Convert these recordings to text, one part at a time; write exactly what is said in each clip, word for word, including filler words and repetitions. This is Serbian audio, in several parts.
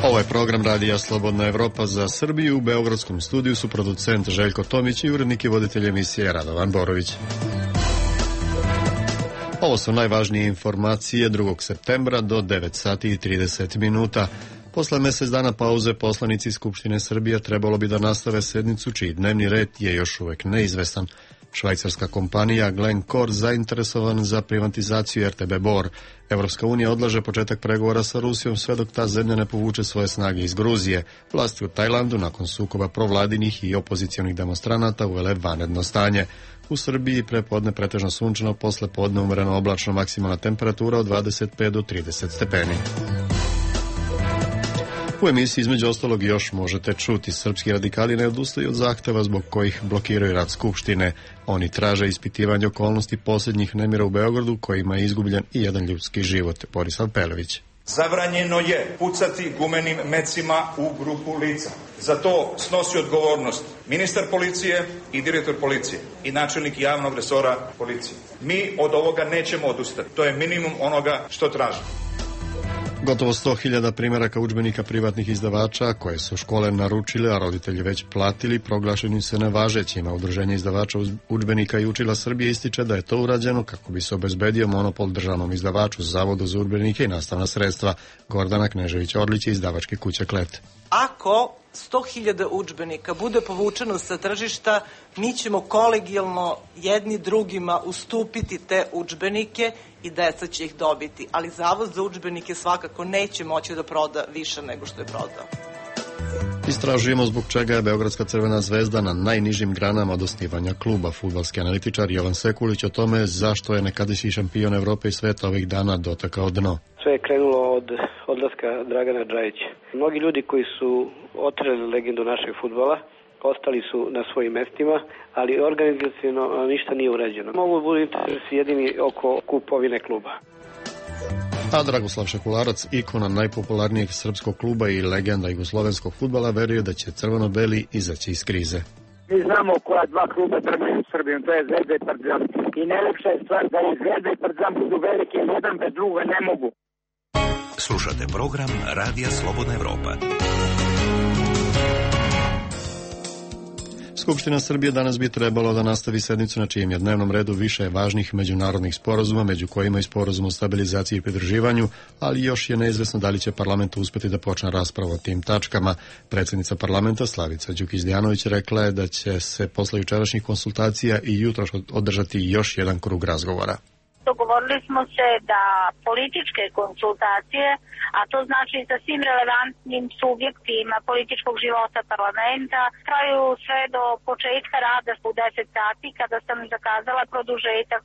Ovo je program Radija Slobodna Evropa za Srbiju. U beogradskom studiju su producent Željko Tomić i urednik i voditelj emisije Radovan Borović. Ovo su najvažnije informacije drugog septembra do devet sati i trideset minuta. Posle mjesec dana pauze poslanici Skupštine Srbije trebalo bi da nastave sednicu čiji dnevni red je još uvek neizvestan. Švajcarska kompanija Glencore zainteresovan za privatizaciju R T B Bor. Evropska unija odlaže početak pregovora sa Rusijom sve dok ta zemlja ne povuče svoje snage iz Gruzije. Vlasti u Tajlandu nakon sukoba provladinih i opozicionih demonstranata uvele vanredno stanje. U Srbiji prepodne pretežno sunčano, posle podne umereno oblačno, maksimalna temperatura od dvadeset pet do trideset stepeni. U emisiji između ostalog još možete čuti: srpski radikali ne odustaju od zahteva zbog kojih blokiraju rad Skupštine. Oni traže ispitivanje okolnosti posljednjih nemira u Beogradu kojima je izgubljen i jedan ljudski život. Borislav Pelević. Zabranjeno je pucati gumenim mecima u grupu lica. Za to snosi odgovornost ministar policije i direktor policije i načelnik javnog resora policije. Mi od ovoga nećemo odustati. To je minimum onoga što tražimo. Gotovo sto hiljada primjeraka udžbenika privatnih izdavača koje su škole naručile, a roditelji već platili, proglašeni su nevažećima. Udruženje izdavača udžbenika i učila Srbije ističe da je to urađeno kako bi se obezbedio monopol državnom izdavaču, Zavodu za udžbenike i nastavna sredstva. Gordana Knežević-Orlić iz izdavačke kuće Klet. Ako sto hiljada udžbenika bude povučeno sa tržišta, mi ćemo kolegijalno jedni drugima ustupiti te udžbenike i deca će ih dobiti, ali Zavod za udžbenike svakako neće moći da proda više nego što je prodao. Istražujemo zbog čega je Beogradska Crvena zvezda na najnižim granama od osnivanja kluba. Fudbalski analitičar Jovan Sekulić o tome zašto je nekadašnji šampion Evrope i sveta ovih dana dotakao dno. Sve je krenulo od odlaska Dragana Džajića. Mnogi ljudi koji su otreli legendu našeg fudbala ostali su na svojim mestima, ali organizaciono ništa nije urađeno. Mogu budu interesi jedini oko kupovine kluba. A Dragoslav Šekularac, ikona najpopularnijeg srpskog kluba i legenda jugoslovenskog fudbala, veruje da će crveno-beli izaći iz krize. Mi znamo koja dva kluba trgaju u Srbiji, to je Zvezda i Partizan. I najlepša je stvar da i Zvezda i Partizan budu velike, jedan bez druga ne mogu. Slušate program Radija Slobodna Evropa. Skupština Srbije danas bi trebalo da nastavi sednicu na čijem je dnevnom redu više važnih međunarodnih sporazuma, među kojima i sporazum o stabilizaciji i pridruživanju, ali još je neizvesno da li će parlament uspeti da počne raspravu o tim tačkama. Predsjednica parlamenta Slavica Đukić-Dejanović rekla je da će se posle jučerašnjih konsultacija i jutro održati još jedan krug razgovora. Dogovorili smo se da političke konsultacije, a to znači sa svim relevantnim subjektima političkog života parlamenta, traju sve do početka rada u deset sati, kada sam zakazala produžetak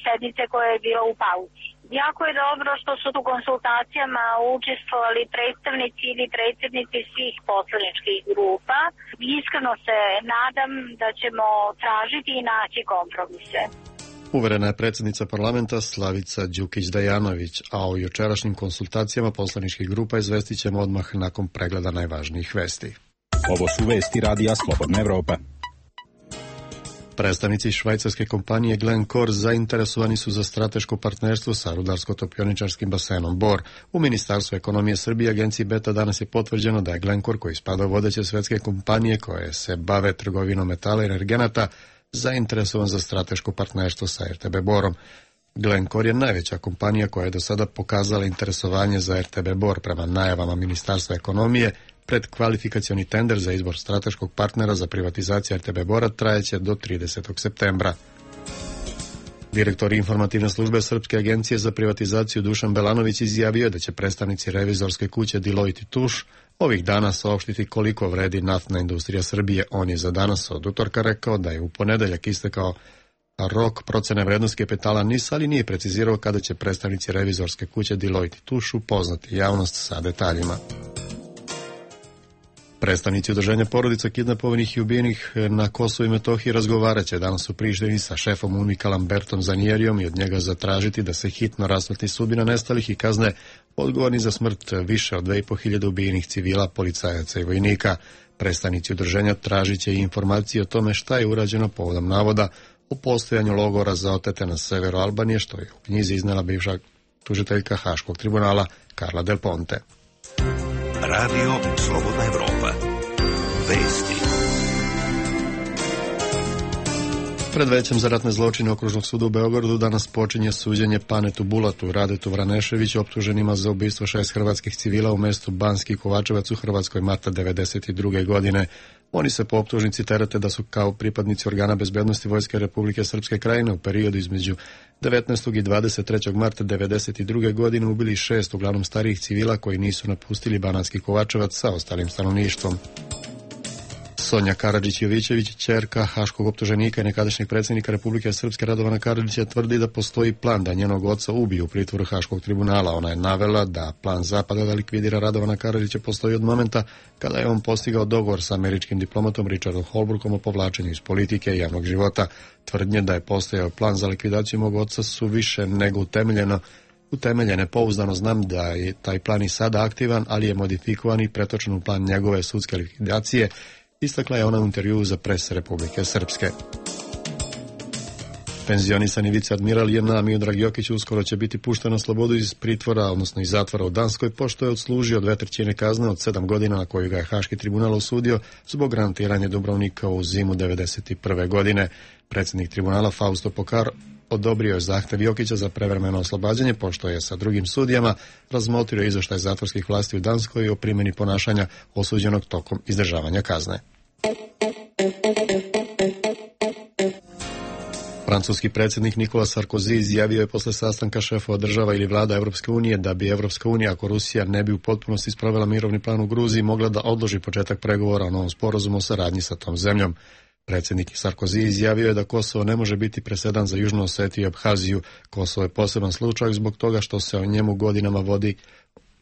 sednice koja je bila u pauzi. Jako je dobro što su u konsultacijama učestvovali predstavnici ili predsjednici svih poslaničkih grupa. Iskreno se nadam da ćemo tražiti i naći kompromise. Uverena je predsjednica parlamenta Slavica Đukić-Dejanović, a o jučerašnjim konsultacijama poslaničkih grupa izvestit ćemo odmah nakon pregleda najvažnijih vesti. Ovo su vesti Radija Slobodna Evropa. Predstavnici švajcarske kompanije Glencore zainteresovani su za strateško partnerstvo sa rudarsko-topioničarskim basenom Bor. U Ministarstvu ekonomije Srbije agenciji Beta danas je potvrđeno da je Glencore, koji spada u vodeće svetske kompanije koje se bave trgovinom metala i energenata, zainteresovan za strateško partnerstvo sa R T B Borom. Glencore je najveća kompanija koja je do sada pokazala interesovanje za R T B Bor. Prema najavama Ministarstva ekonomije, predkvalifikacioni tender za izbor strateškog partnera za privatizaciju R T B Bora trajeće do tridesetog septembra. Direktor informativne službe Srpske agencije za privatizaciju Dušan Belanović izjavio da će predstavnici revizorske kuće Deloitte i Touche ovih dana saopštiti koliko vredi naftna industrija Srbije. On je za danas od utorka rekao da je u ponedeljak istekao rok procene vrednosti kapitala N I S, ali nije precizirao kada će predstavnici revizorske kuće Deloitte i Touche upoznati javnost sa detaljima. Predstavnici udruženja porodica kidnapovanih i ubijenih na Kosovu i Metohiji razgovarat će danas u Prištini sa šefom UNMIK-a Lambertom Zanijerijom i od njega zatražiti da se hitno rasvetli sudbina nestalih i kazne odgovorni za smrt više od dve i po hiljade ubijenih civila, policajaca i vojnika. Predstavnici udruženja tražit će i informacije o tome šta je urađeno povodom navoda o postojanju logora za otete na severu Albanije, što je u knjizi iznela bivša tužiteljka Haškog tribunala Carla Del Ponte. Radio Slobodna Evropa. Vesti. Pred Većem za ratne zločine Okružnog suda u Beogradu danas počinje suđenje Panetu Bulatu, Radetu Vraneševiću, optuženima za ubistvo šest hrvatskih civila u mestu Banski Kovačevac u Hrvatskoj marta devedeset druge godine. Oni se po optužnici terete da su kao pripadnici organa bezbednosti Vojske Republike Srpske Krajine u periodu između devetnaestog i dvadeset trećeg marta devedeset druge godine ubili šest uglavnom starijih civila koji nisu napustili Banatski Kovačevac sa ostalim stanovništvom. Sonja Karadžić-Jovićević, ćerka haškog optuženika i nekadašnjeg predsjednika Republike Srpske Radovana Karadžića, tvrdi da postoji plan da njenog oca ubiju u pritvoru Haškog tribunala. Ona je navela da plan Zapada da likvidira Radovana Karadžića postoji od momenta kada je on postigao dogovor sa američkim diplomatom Richardom Holbrookom o povlačenju iz politike i javnog života. Tvrdnje da je postojao plan za likvidaciju mog oca su više nego utemeljeno utemeljene. Pouzdano znam da je taj plan i sada aktivan, ali je modifikovan i pretočen u plan njegove sudske likvidacije, istakla je ona u intervjuu za Pres Republike Srpske. Penzionisani viceadmiral J N A Miodrag Jokić uskoro će biti pušten na slobodu iz pritvora, odnosno iz zatvora u Danskoj, pošto je odslužio dve trećine kazne od sedam godina na koju ga je Haški tribunal osudio zbog grantiranja Dubrovnika u zimu devedeset prve godine. Predsjednik tribunala Fausto Pokar odobrio je zahtev Jokića za prevremeno oslobađanje, pošto je sa drugim sudijama razmotrio izvještaj zatvorskih vlasti u Danskoj o primjeni ponašanja osuđenog tokom izdržavanja kazne. Francuski predsjednik Nicolas Sarkozy izjavio je posle sastanka šefova država ili vlada Evropske unije da bi Evropska unija, ako Rusija ne bi u potpunosti sprovela mirovni plan u Gruziji, mogla da odloži početak pregovora o novom sporazumu o saradnji sa tom zemljom. Predsjednik Sarkozy izjavio je da Kosovo ne može biti presedan za Južnu Osetiju i Abhaziju. Kosovo je poseban slučaj zbog toga što se o njemu godinama vodi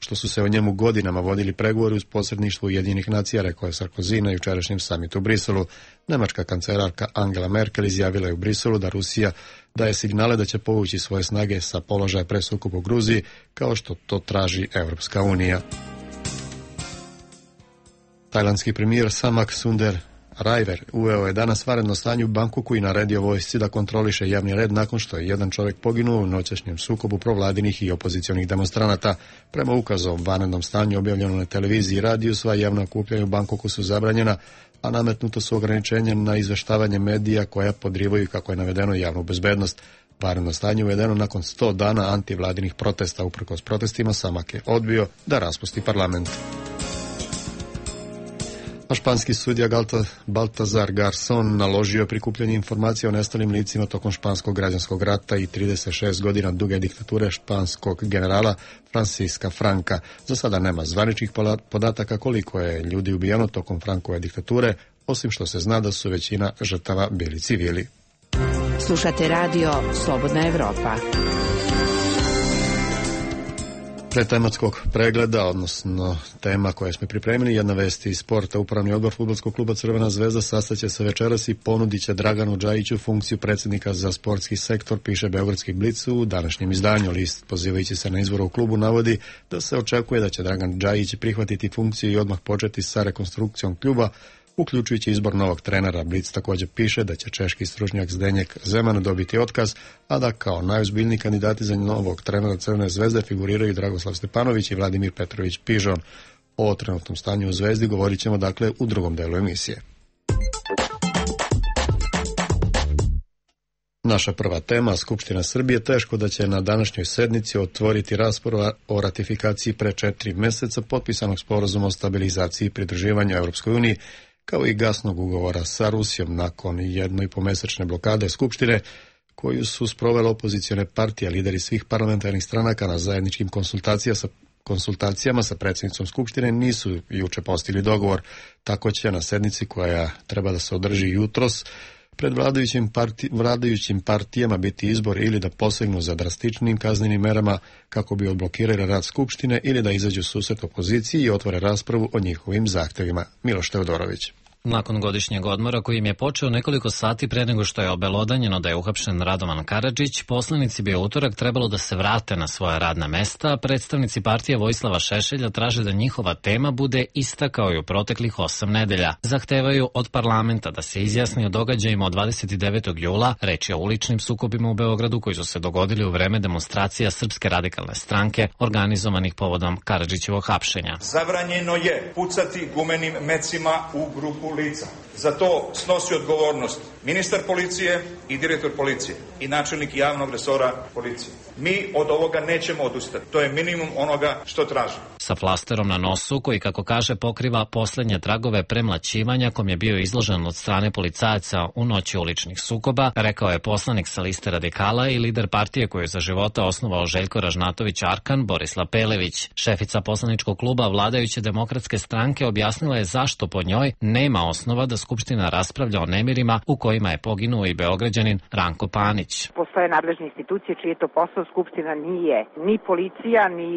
što su se o njemu godinama vodili pregovori uz posredništvo Ujedinjenih nacija, rekao je Sarkozy na jučerašnjem samitu u Briselu. Nemačka kancelarka Angela Merkel izjavila je u Briselu da Rusija daje signale da će povući svoje snage sa položaja pre sukoba u Gruziji, kao što to traži Evropska unija. Tajlandski premijer Samak Sunder Rajver uveo je danas vanredno stanje u Bangkoku i naredio vojsci da kontroliše javni red nakon što je jedan čovjek poginuo u noćašnjem sukobu provladinih i opozicionih demonstranata. Prema ukazu o vanrednom stanju objavljeno na televiziji i radiju, sva javna okupljanja u Bangkoku su zabranjena, a nametnuto su ograničenja na izveštavanje medija koja podrivaju, kako je navedeno, javnu bezbednost. Vanredno stanje uvedeno nakon sto dana antivladinih protesta. Uprkos protestima, Samak je odbio da raspusti parlament. A španski sudija Baltazar Garzón naložio prikupljanje informacija o nestalim licima tokom španskog građanskog rata i trideset šest godina duge diktature španskog generala Francisca Franka. Za sada nema zvaničnih podataka koliko je ljudi ubijeno tokom Frankove diktature, osim što se zna da su većina žrtava bili civili. Slušate radio Slobodna Evropa. Pre tematskog pregleda, odnosno tema koje smo pripremili, jedna vest iz sporta. Upravni odbor fudbalskog kluba Crvena zvezda sastaće se večeras i ponudit će Draganu Džajiću funkciju predsjednika za sportski sektor, piše Beogradski Blic u današnjem izdanju. List, pozivajući se na izvor u klubu, navodi da se očekuje da će Dragan Džajić prihvatiti funkciju i odmah početi sa rekonstrukcijom kluba, uključujući izbor novog trenera. Blic također piše da će češki stručnjak Zdenjek Zeman dobiti otkaz, a da kao najozbiljniji kandidati za novog trenera Crvene zvezde figuriraju Dragoslav Stepanović i Vladimir Petrović Pižon. O trenutnom stanju u Zvezdi govorit ćemo dakle u drugom delu emisije. Naša prva tema, Skupština Srbije, teško da će na današnjoj sednici otvoriti raspravu o ratifikaciji pre četiri meseca potpisanog sporazuma o stabilizaciji i pridruživanju Evropskoj uniji, kao i gasnog ugovora sa Rusijom nakon jedno i po mesečne blokade Skupštine, koju su sprovele opozicione partije, lideri svih parlamentarnih stranaka na zajedničkim konsultacijama sa konsultacijama sa predsjednicom Skupštine nisu juče postigli dogovor. Tako će na sednici koja treba da se održi jutros pred vladajućim, parti, vladajućim partijama biti izbor ili da posegnu za drastičnim kaznenim merama kako bi odblokirali rad Skupštine ili da izađu susret opoziciji i otvore raspravu o njihovim zahtjevima. Miloš Teodorović. Nakon godišnjeg odmora kojim je počeo nekoliko sati pre nego što je obelodanjeno da je uhapšen Radovan Karadžić, poslanici bi u utorak trebalo da se vrate na svoja radna mesta, a predstavnici partije Vojislava Šešelja traže da njihova tema bude ista kao i u proteklih osam nedelja. Zahtevaju od parlamenta da se izjasni o događajima od dvadeset devetog jula, reč je o uličnim sukobima u Beogradu koji su se dogodili u vreme demonstracija Srpske radikalne stranke organizovanih povodom Karadžićevog hapšenja. Zabranjeno je pucati gumenim mecima u grupu lica. Za to snosi odgovornost ministar policije i direktor policije i načelnik javnog resora policije. Mi od ovoga nećemo odustati. To je minimum onoga što tražimo. Sa flasterom na nosu, koji, kako kaže, pokriva poslednje tragove premlaćivanja kom je bio izložen od strane policajaca u noći uličnih sukoba, rekao je poslanik sa liste Radikala i lider partije koju je za života osnovao Željko Ražnatović Arkan, Borislav Pelević. Šefica poslaničkog kluba vladajuće demokratske stranke objasnila je zašto po njoj nema osnova da Skupština raspravlja o nemirima u kojima je poginuo i Beograđanin Ranko Panić. Postoje nadležne institucije čiji je to posao, Skupština nije ni policija, ni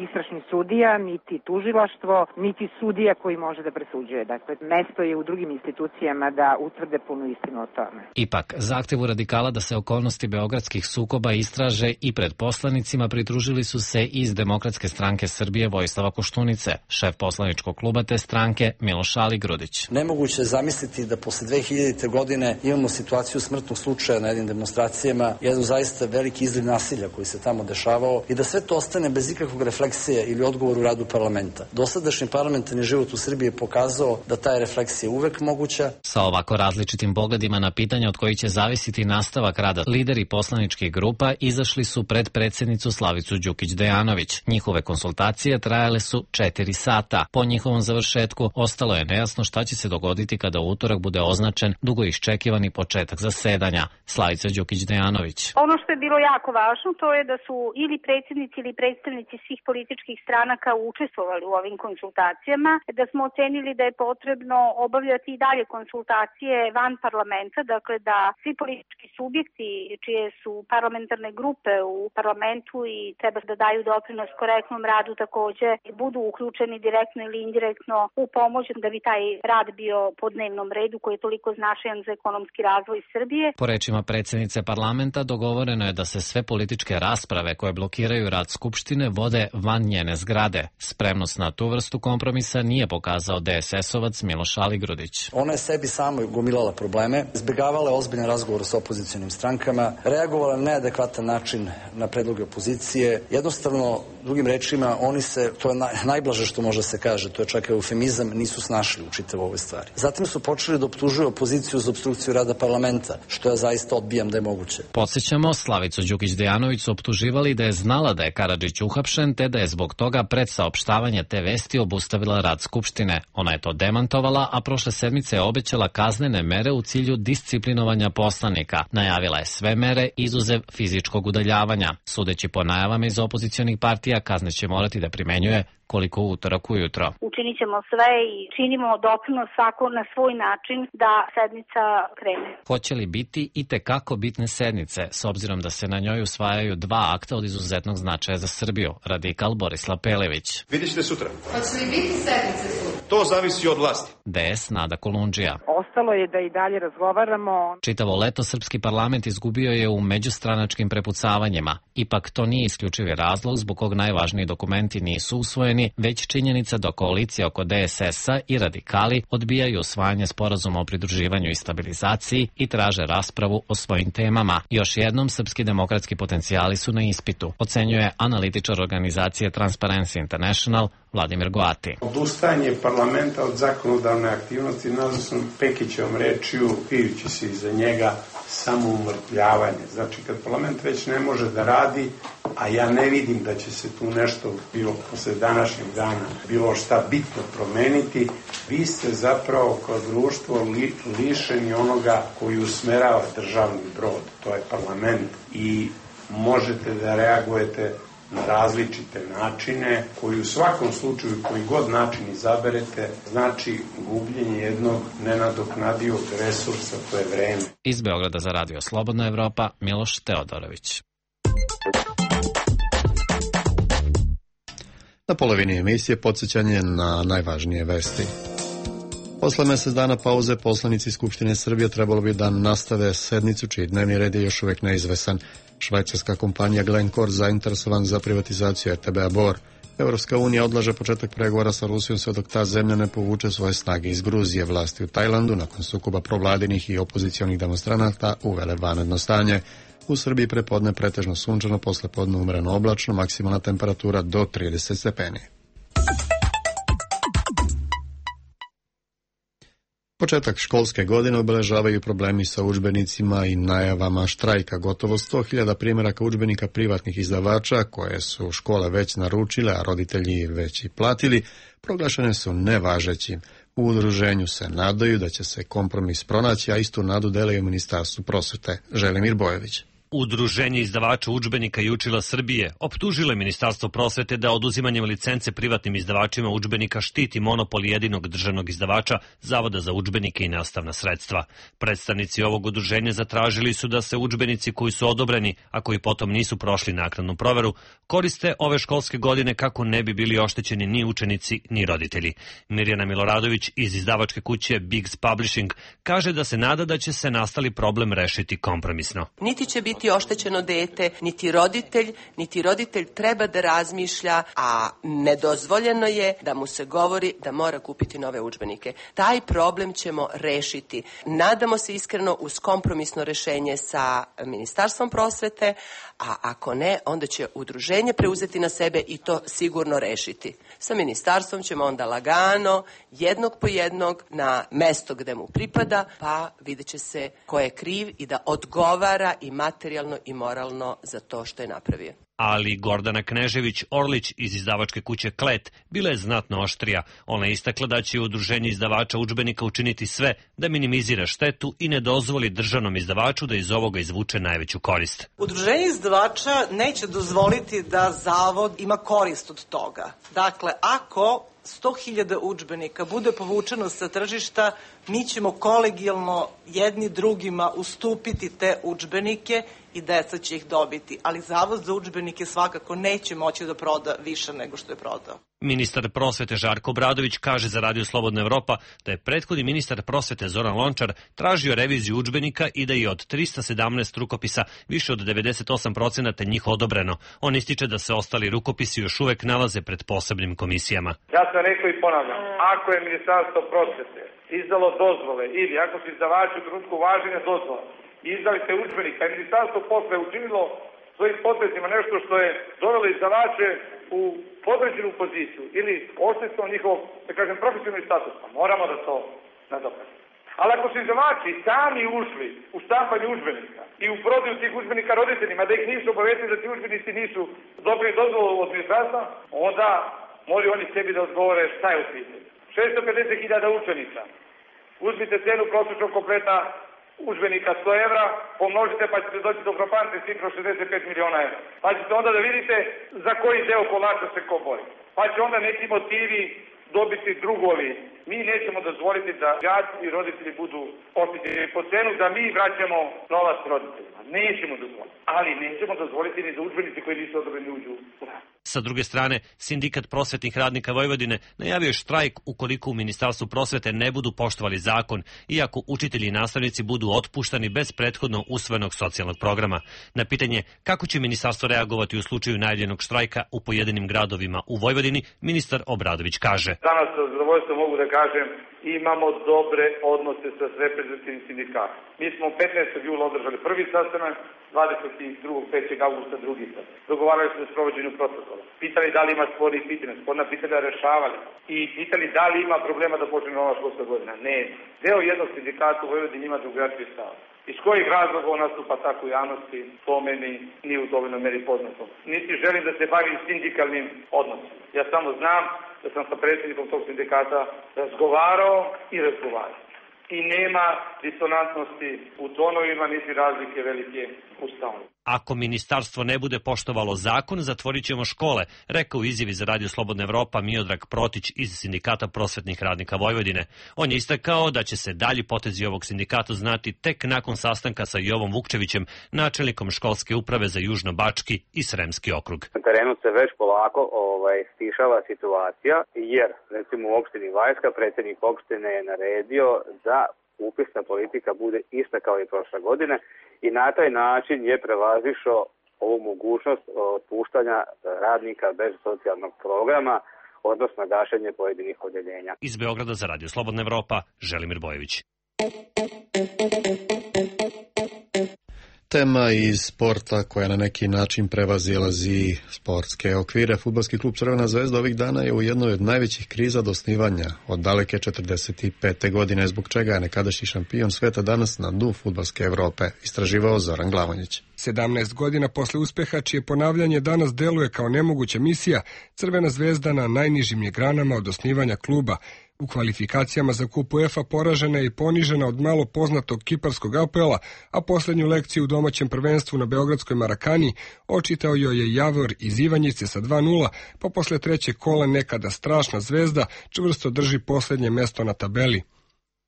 istražni sudija, niti tužilaštvo, niti sudija koji može da presuđuje. Dakle, mesto je u drugim institucijama da utvrde punu istinu o tome. Ipak, zahtevu Radikala da se okolnosti beogradskih sukoba istraže i pred poslanicima pridružili su se iz Demokratske stranke Srbije Vojislava Koštunice, šef poslaničkog kluba te stranke Miloš Aligrudić. Nemoguće je zamisliti da posle dve hiljadite. godine imamo situaciju smrtnog slučaja na jednim demonstracijama, jedan zaista veliki izliv nasilja koji se tamo dešavao i da sve to ostane bez ikakvog refleksije ili odgovora u radu parlamenta. Dosadašnji parlamentarni život u Srbiji je pokazao da ta je refleksija uvek moguća. Sa ovako različitim pogledima na pitanja od kojih će zavisiti nastavak rada, lideri poslaničkih grupa izašli su pred predsjednicu Slavicu Đukić Dejanović. Njihove konsultacije trajale su četiri sata. Po njihovom završetku ostalo je nejasno šta će se dogoditi kada u utorak bude označen dugo iščekivani početak zasedanja. Slavica Đukić Dejanović. Ono što je bilo jako važno, to je da su ili predsjednici ili predstavnici svih političkih stranaka učestvovali u ovim konsultacijama, da smo ocenili da je potrebno obavljati i dalje konsultacije van parlamenta, dakle da svi politički subjekti čije su parlamentarne grupe u parlamentu i treba da daju doprinos korektnom radu takođe budu uključeni direktno ili indirektno u pomoć da bi taj rad bio po dnevnom redu koji je toliko značajan za ekonomski razvoj Srbije. Po rečima predsjednice parlamenta dogovoreno je da se sve političke rasprave koje blokiraju rad Skupštine vode van njene zgrade. Spremnost na tu vrstu kompromisa nije pokazao de es es-ovac Miloš Aligrudić. Ona je sebi samo gomilala probleme, izbegavala ozbiljan razgovor sa opozicionim strankama, reagovala na neadekvatan način na predloge opozicije. Jednostavno, drugim rečima, oni se, to je najblaže što može se kaže, to je čak eufemizam, nisu snašli u čitavoj ovoj stvari. Zatim su počeli da optužuju opoziciju za opstrukciju rada parlamenta, što ja zaista odbijam da je moguće. Podsjećamo, Slavicu Đukić Dejanović su optuživali da je znala da je Karadžić uhapšen, te da je zbog toga pred saopštavanje te vesti obustavila rad Skupštine. Ona je to demantovala, a prošle sedmice je obećala kaznene mere u cilju disciplinovanja poslanika. Najavila je sve mere izuzev fizičkog udaljavanja. Sudeći po najavama iz opozicionih partija, kazne će morati da primenjuje koliko utorak ujutro. Učinit ćemo sve i činimo doprinos svako na svoj način da sednica krene. Hoće li biti i tekako bitne sednice, s obzirom da se na njoj usvajaju dva akta od izuzetnog značaja za Srbiju, radikal Borislav Pelević. Vidjet ćete sutra. Hoće li biti sednice sutra? To zavisi od vlasti. de es Nada Kolundžija. Ostalo je da i dalje razgovaramo. Čitavo leto srpski parlament izgubio je u međustranačkim prepucavanjima. Ipak to nije isključivi razlog zbog kog najvažniji dokumenti nisu usvojeni, već činjenica da koalicija oko de es es-a i radikali odbijaju usvajanje sporazuma o pridruživanju i stabilizaciji i traže raspravu o svojim temama. Još jednom, srpski demokratski potencijali su na ispitu, ocenjuje analitičar organizacije Transparency International Vladimir Goati. Odustajanje parlamenta od zakonodavne aktivnosti nazvao sam Pekićevom rečju, krijući se iza njega, samo umrtvljavanje. Znači, kad parlament već ne može da radi, a ja ne vidim da će se tu nešto, bilo posle današnjeg dana, bilo šta bitno promeniti, vi ste zapravo kao društvo li, lišeni onoga koji usmerava državni brod, to je parlament, i možete da reagujete na različite načine, koji u svakom slučaju, koji god način izaberete, znači gubljenje jednog nenadoknadivog resursa, to je vreme. Iz Beograda za Radio Slobodna Evropa, Miloš Teodorović. Na polovini emisije podsjećanje na najvažnije vesti. Posle mesec dana pauze poslanici Skupštine Srbije trebalo bi da nastave sednicu čiji dnevni red je još uvek neizvesan. Švajcarska kompanija Glencore zainteresovan za privatizaciju er te be-a Bor. Evropska unija odlaže početak pregovora sa Rusijom sve dok ta zemlja ne povuče svoje snage iz Gruzije. Vlasti u Tajlandu nakon sukoba provladinih i opozicionih demonstranata uvele vanredno stanje. U Srbiji prepodne pretežno sunčano, posle podne umreno oblačno, maksimalna temperatura do trideset stepeni. Početak školske godine obeležavaju problemi sa udžbenicima i najavama štrajka. Gotovo sto hiljada primjeraka udžbenika privatnih izdavača, koje su škole već naručile, a roditelji već i platili, proglašene su nevažećim. U udruženju se nadaju da će se kompromis pronaći, a istu nadu dele u Ministarstvu prosvete. Želimir Bojević. Udruženje izdavača udžbenika i učila Srbije optužilo je Ministarstvo prosvete da oduzimanjem licence privatnim izdavačima udžbenika štiti monopol jedinog državnog izdavača Zavoda za udžbenike i nastavna sredstva. Predstavnici ovog udruženja zatražili su da se udžbenici koji su odobreni, a koji potom nisu prošli naknadnu proveru, koriste ove školske godine kako ne bi bili oštećeni ni učenici ni roditelji. Mirjana Miloradović iz izdavačke kuće Bigs Publishing kaže da se nada da će se nastali problem rešiti kompromisno. Niti će biti niti oštećeno dete, niti roditelj, niti roditelj treba da razmišlja, a nedozvoljeno je da mu se govori da mora kupiti nove udžbenike. Taj problem ćemo rešiti. Nadamo se iskreno uz kompromisno rešenje sa Ministarstvom prosvete, a ako ne, onda će udruženje preuzeti na sebe i to sigurno rešiti. Sa ministarstvom ćemo onda lagano, jednog po jednog, na mesto gde mu pripada, pa vidjet će se ko je kriv i da odgovara i materijalno i moralno za to što je napravio. Ali Gordana Knežević-Orlić iz izdavačke kuće Klet bila je znatno oštrija. Ona je istakla da će udruženje izdavača udžbenika učiniti sve da minimizira štetu i ne dozvoli državnom izdavaču da iz ovoga izvuče najveću korist. Udruženje izdavača neće dozvoliti da Zavod ima korist od toga. Dakle, ako sto hiljada udžbenika bude povučeno sa tržišta, mi ćemo kolegijalno jedni drugima ustupiti te udžbenike i deca će ih dobiti, ali Zavod za udžbenike svakako neće moći da proda više nego što je prodao. Ministar prosvete Žarko Obradović kaže za Radio Slobodna Evropa da je prethodni ministar prosvete Zoran Lončar tražio reviziju udžbenika i da je od trista sedamnaest rukopisa više od devedeset osam procenata njih odobreno. On ističe da se ostali rukopisi još uvek nalaze pred posebnim komisijama. Ja sam rekao i ponavljam, ako je Ministarstvo prosvete izdalo dozvole ili ako su izdavači u trenutku važenja dozvola i izdali te udžbenika i Ministarstvo posle učinilo svojim potezima nešto što je dovelo izdavače u podređenu poziciju ili oštetilo njihov, da kažem, profesionalni status, pa moramo da to nadoknadimo. Ali ako su izdavači sami ušli u štampanje udžbenika i u prodaju tih udžbenika roditeljima, da ih nisu obavestili da ti udžbenici nisu dobili dozvolu od ministarstva, onda moraju oni sebi da odgovore šta je u pitanju. šesto pedeset hiljada učenika. Uzmite cenu prosječnog kompleta udžbenika sto evra, pomnožite pa ćete doći do frapantne cifre šezdeset pet miliona evra. Pa ćete onda da vidite za koji deo kolača se ko bori. Pa će onda neki motivi dobiti drugovi. Mi nećemo dozvoliti da đaci i roditelji budu oštećeni po cenu da mi vraćamo novac roditeljima. Nećemo dozvoliti. Ali nećemo dozvoliti ni da udžbenici koji nisu odobreni uđu u rad. Sa druge strane, Sindikat prosvetnih radnika Vojvodine najavio je štrajk ukoliko u Ministarstvu prosvete ne budu poštovali zakon, iako učitelji i nastavnici budu otpuštani bez prethodno usvojenog socijalnog programa. Na pitanje kako će ministarstvo reagovati u slučaju najavljenog štrajka u pojedinim gradovima u Vojvodini, ministar Obradović kaže: Danas sa zadovoljstvom mogu da kažem, imamo dobre odnose sa reprezentativnim sindikatom. Mi smo petnaestog jula održali prvi sastanak, dvadeset drugog avgusta drugi sastanak. Dogovarali smo o sprovođenju protokola. Pitali da li ima spornih pitanja, sporna pitanja rešavali. I pitali da li ima problema da počne nova školska godina. Ne. Deo jednog sindikata u Vojvodini ima drugačiji stav. Iz kojih razloga on nastupa tako u javnosti, to meni nije u dovoljnoj meri poznato. Niti želim da se bavim sindikalnim odnosom. Ja samo znam da sam sa predsjednikom tog sindikata razgovarao i razgovarao. I nema disonantnosti u tonovima, niti razlike velike u stavu. ako ministarstvo ne bude poštovalo zakon, zatvorit ćemo škole, rekao u izjavi za Radio Slobodna Evropa Miodrag Protić iz Sindikata prosvetnih radnika Vojvodine. On je istakao da će se dalji potezi ovog sindikata znati tek nakon sastanka sa Jovom Vukčevićem, načelnikom školske uprave za Južno-Bački i Sremski okrug. Na terenu se već polako ovaj, stišava situacija, jer recimo u opštini Vajska predsjednik opštine je naredio da upisna politika bude ista kao i prošle godine i na taj način je prevazišao ovu mogućnost otpuštanja radnika bez socijalnog programa, odnosno gašenje pojedinih odeljenja. Iz Beograda za Radio Slobodna Evropa, Želimir Bojević. Tema iz sporta koja na neki način prevazilazi sportske okvire. Fudbalski klub Crvena zvezda ovih dana je u jednoj od najvećih kriza do osnivanja od daleke četrdeset pete godine, zbog čega je nekadašnji šampion sveta danas na dnu fudbalske Evrope, istraživao Zoran Glavonjić. sedamnaest godina posle uspeha, čije ponavljanje danas deluje kao nemoguća misija, Crvena zvezda na najnižim je granama od osnivanja kluba. U kvalifikacijama za kup UEFA poražena je i ponižena od malo poznatog kiparskog A P L-a, a poslednju lekciju u domaćem prvenstvu na beogradskoj Marakani očitao joj je Javor iz Ivanjice sa dva nula, pa posle trećeg kola nekada strašna zvezda čvrsto drži poslednje mesto na tabeli.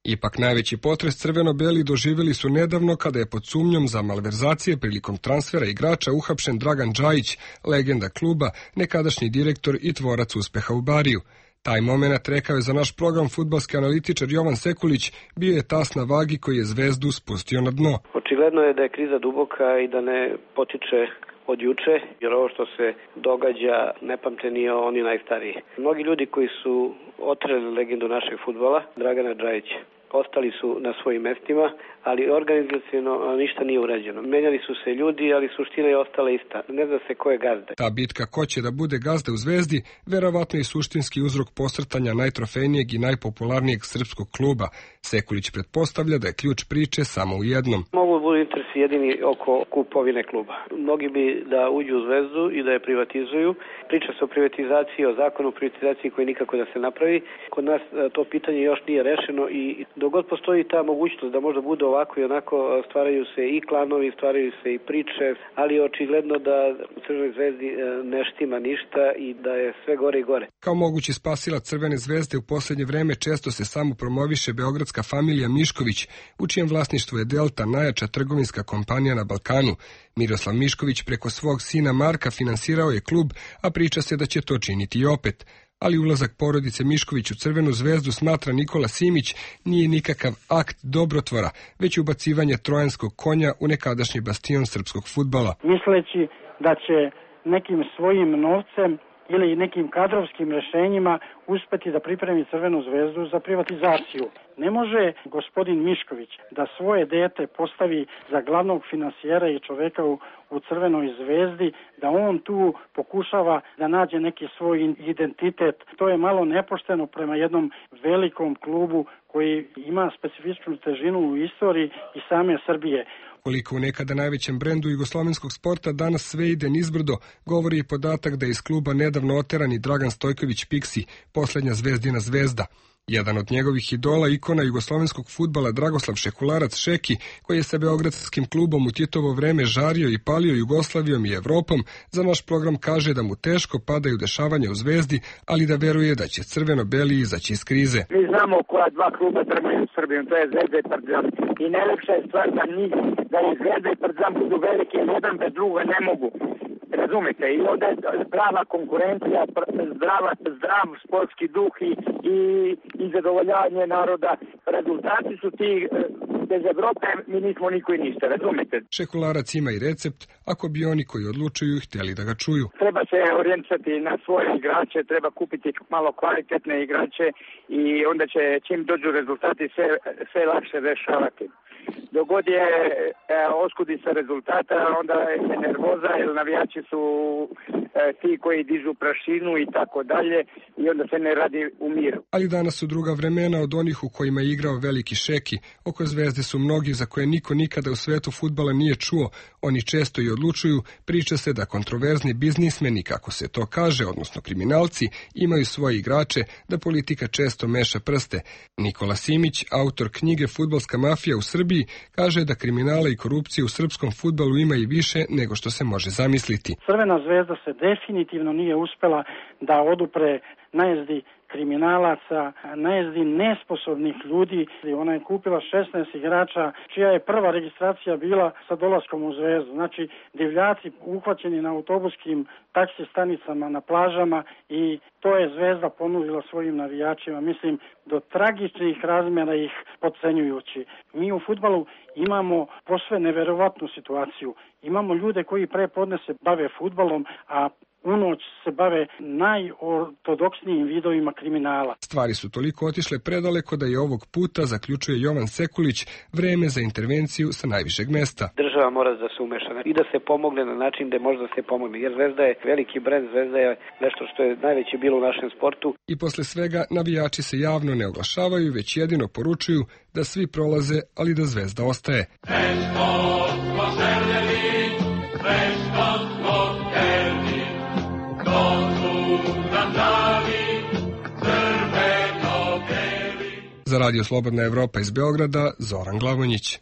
Ipak najveći potres crveno-beli doživjeli su nedavno kada je pod sumnjom za malverzacije prilikom transfera igrača uhapšen Dragan Džajić, legenda kluba, nekadašnji direktor i tvorac uspeha u Bariju. Taj moment, rekao je za naš program fudbalski analitičar Jovan Sekulić, bio je tas na vagi koji je zvezdu spustio na dno. Očigledno je da je kriza duboka i da ne potiče od juče, jer ovo što se događa ne pamte ni oni najstariji. Mnogi ljudi koji su otreli legendu našeg fudbala, Dragana Džajića, ostali su na svojim mestima, ali organizaciono ništa nije urađeno. Menjali su se ljudi, ali suština je ostala ista. Ne zna se ko je gazda. Ta bitka ko će da bude gazda u Zvezdi, verovatno je suštinski uzrok posrtanja najtrofejnijeg i najpopularnijeg srpskog kluba. Sekulić pretpostavlja da je ključ priče samo u jednom. Mogu budu interesi jedini oko kupovine kluba. Mnogi bi da uđu u Zvezdu i da je privatizuju. Priča se o privatizaciji, o zakonu o privatizaciji koji nikako da se napravi. Kod nas to pitanje još nije rešeno i dok god postoji ta mogućnost da možda bude ovako i onako, stvaraju se i klanovi, stvaraju se i priče, ali je očigledno da u Crvenoj zvezdi ne štima ništa i da je sve gore i gore. Kao mogući spasilac Crvene zvezde u poslednje vreme često se samo promoviše beogradska familija Mišković, u čijem vlasništvu je Delta, najjača trgovinska kompanija na Balkanu. Miroslav Mišković preko svog sina Marka finansirao je klub, a priča se da će to činiti i opet. Ali ulazak porodice Mišković u Crvenu zvezdu, smatra Nikola Simić, nije nikakav akt dobrotvora, već ubacivanje trojanskog konja u nekadašnji bastion srpskog fudbala. Misleći da će nekim svojim novcem ili nekim kadrovskim rešenjima uspeti da pripremi Crvenu zvezdu za privatizaciju. Ne može gospodin Mišković da svoje dete postavi za glavnog finansijera i čoveka u, u Crvenoj zvezdi, da on tu pokušava da nađe neki svoj identitet. To je malo nepošteno prema jednom velikom klubu koji ima specifičnu težinu u istoriji i same Srbije. Koliko u nekada najvećem brendu jugoslovenskog sporta danas sve ide nizbrdo, govori i podatak da je iz kluba nedavno oteran i Dragan Stojković Piksi, poslednja zvezdina zvezda. Jedan od njegovih idola, ikona jugoslovenskog fudbala Dragoslav Šekularac Šeki, koji je sa beogradskim klubom u Titovo vreme žario i palio Jugoslavijom i Evropom, za naš program kaže da mu teško padaju dešavanja u Zvezdi, ali da veruje da će crveno-beli izaći iz krize. Mi znamo koja dva kluba trgaju u Srbiji, to je Zvezda i Partizan. I najlepša je stvar da njih, da i Zvezda i Partizan budu veliki, jedan bez druga ne mogu. Razumete, i onda je prava konkurencija, zdrava, zdrav sportski duh i, i, i zadovoljavanje naroda. Rezultati su ti, bez Evrope mi nismo niko i ništa, razumete. Šekularac ima i recept, ako bi oni koji odlučuju htjeli da ga čuju. Treba se orijentisati na svoje igrače, treba kupiti malo kvalitetne igrače i onda će, čim dođu rezultati, sve, sve lakše rešavati. Dogod je e, oskudica rezultata, onda je nervoza, jer navijači su e, ti koji dižu prašinu i tako dalje i onda se ne radi u miru. Ali danas su druga vremena od onih u kojima je igrao veliki Šeki. Oko Zvezde su mnogi za koje niko nikada u svetu fudbala nije čuo. Oni često i odlučuju, priča se da kontroverzni biznismeni, kako se to kaže, odnosno kriminalci, imaju svoje igrače, da politika često meša prste. Nikola Simić, autor knjige Fudbalska mafija u Srbiji, kaže da kriminala i korupcije u srpskom fudbalu ima i više nego što se može zamisliti. Crvena zvezda se definitivno nije uspela da odupre najezdi kriminalaca, najezdi nesposobnih ljudi. Ona je kupila šesnaest igrača čija je prva registracija bila sa dolaskom u Zvezdu. Znači, divljaci uhvaćeni na autobuskim taksi stanicama na plažama i to je Zvezda ponudila svojim navijačima. Mislim, do tragičnih razmjera ih podcenjujući. Mi u fudbalu imamo posve neverovatnu situaciju. Imamo ljude koji pre podne se bave fudbalom, a unoć se bave najortodoksnijim vidovima kriminala. Stvari su toliko otišle predaleko da je ovog puta, zaključuje Jovan Sekulić, vreme za intervenciju sa najvišeg mesta. Država mora da se umeša i da se pomogne na način da može da se pomogne, jer Zvezda je veliki brend, Zvezda je nešto što je najveće bilo u našem sportu. I posle svega navijači se javno ne oglašavaju, već jedino poručuju da svi prolaze, ali da Zvezda ostaje. Za Radio Slobodna Evropa iz Beograda, Zoran Glavonjić.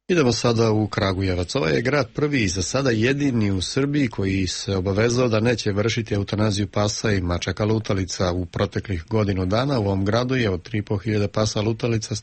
Idemo sada u Kragujevac. Ovaj je grad prvi i za sada jedini u Srbiji koji se obavezao da neće vršiti eutanaziju pasa i mačaka lutalica. U proteklih godinu dana u ovom gradu je od tri i po hiljade pasa lutalica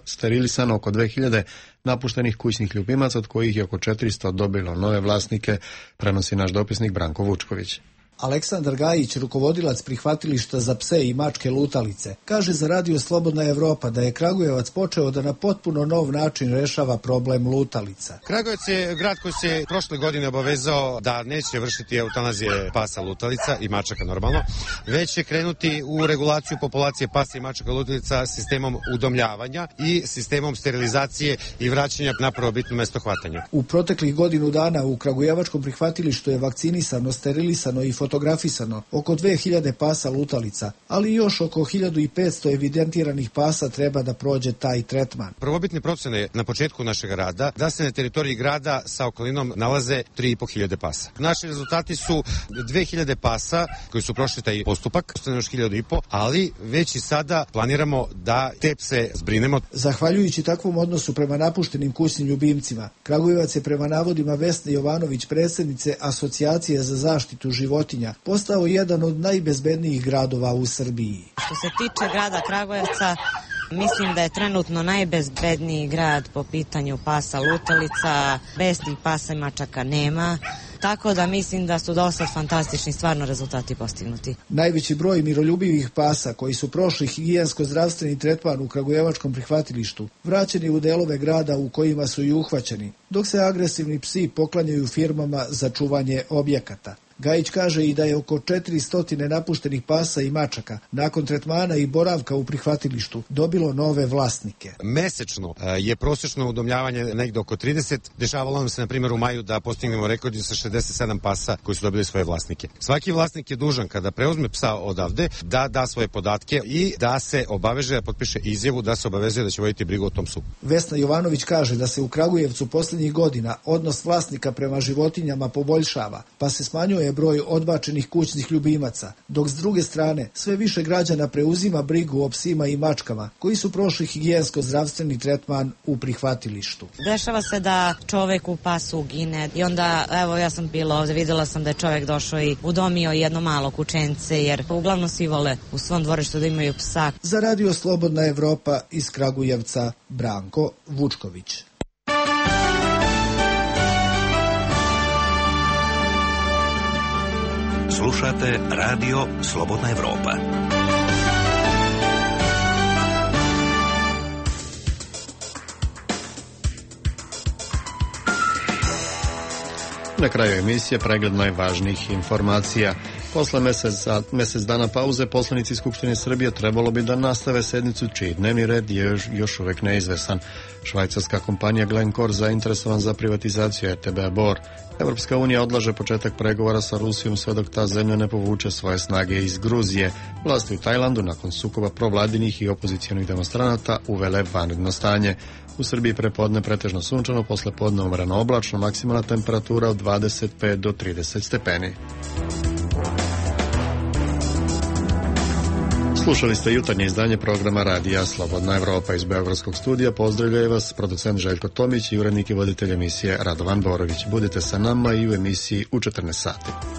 sterilisano oko dve hiljade napuštenih kućnih ljubimaca, od kojih je oko četiristo dobilo nove vlasnike, prenosi naš dopisnik Branko Vučković. Aleksandar Gajić, rukovodilac prihvatilišta za pse i mačke lutalice, kaže za Radio Slobodna Evropa da je Kragujevac počeo da na potpuno nov način rešava problem lutalica. Kragujevac je grad koji se prošle godine obavezao da neće vršiti eutanazije pasa lutalica i mačaka normalno, već će krenuti u regulaciju populacije pasa i mačaka lutalica sistemom udomljavanja i sistemom sterilizacije i vraćanja na prvobitno mesto hvatanja. U proteklih godinu dana u Kragujevačkom prihvatilištu je vakcinisano, sterilisano i fotografisano oko dve hiljade pasa lutalica, ali još oko hiljadu petsto evidentiranih pasa treba da prođe taj tretman. Prvobitne procene na početku našeg rada da se na teritoriji grada sa okolinom nalaze tri i po hiljade pasa. Naši rezultati su dve hiljade pasa koji su prošli taj postupak, ostane još hiljadu i po, ali već i sada planiramo da te pse zbrinemo. Zahvaljujući takvom odnosu prema napuštenim kućnim ljubimcima, Kragujevac je prema navodima Vesne Jovanović, predsjednice Asocijacije za zaštitu životinja, postao jedan od najbezbednijih gradova u Srbiji. Što se tiče grada Kragujevca, mislim da je trenutno najbezbedniji grad po pitanju pasa lutalica, besnih pasa i mačaka nema. Tako da mislim da su dosta fantastični stvarno rezultati postignuti. Najveći broj miroljubivih pasa koji su prošli higijensko-zdravstveni tretman u Kragujevačkom prihvatilištu vraćeni u delove grada u kojima su i uhvaćeni, dok se agresivni psi poklanjaju firmama za čuvanje objekata. Gajić kaže i da je oko četiristo napuštenih pasa i mačaka nakon tretmana i boravka u prihvatilištu dobilo nove vlasnike. Mesečno je prosječno udomljavanje negde oko trideset. Dešavalo nam se na primjer u maju da postignemo rekord sa šezdeset sedam pasa koji su dobili svoje vlasnike. Svaki vlasnik je dužan kada preuzme psa odavde da da svoje podatke i da se obaveže da potpiše izjavu da se obavezuje da će voditi brigu o tom psu. Vesna Jovanović kaže da se u Kragujevcu poslednjih godina odnos vlasnika prema životinjama poboljšava, pa se smanjuje broj odbačenih kućnih ljubimaca, dok s druge strane sve više građana preuzima brigu o psima i mačkama koji su prošli higijensko-zdravstveni tretman u prihvatilištu. Dešava se da čovek u pasu ugine i onda, evo ja sam bila ovde, videla sam da je čovek došao i udomio jedno malo kućence, jer uglavnom svi vole u svom dvorištu da imaju psa. Za Radio Slobodna Evropa iz Kragujevca, Branko Vučković. Slušate Radio Slobodna Evropa. Na kraju emisije pregled najvažnijih informacija. Posle mesec, mesec dana pauze poslanici Skupštine Srbije trebalo bi da nastave sednicu čiji dnevni red je još, još uvek neizvesan. Švajcarska kompanija Glencore zainteresovan za privatizaciju R T B Bor. Evropska unija odlaže početak pregovora sa Rusijom sve dok ta zemlja ne povuče svoje snage iz Gruzije. Vlasti u Tajlandu nakon sukoba provladinih i opozicijonih demonstranata uvele vanredno stanje. U Srbiji prepodne pretežno sunčano, posle podne umreno oblačno, maksimalna temperatura od dvadeset pet do trideset stepeni. Slušali ste jutarnje izdanje programa Radija Slobodna Evropa. Iz Beogradskog studija pozdravljaju vas producent Željko Tomić i urednik i voditelj emisije Radovan Borović. Budite sa nama i u emisiji u četrnaest sati.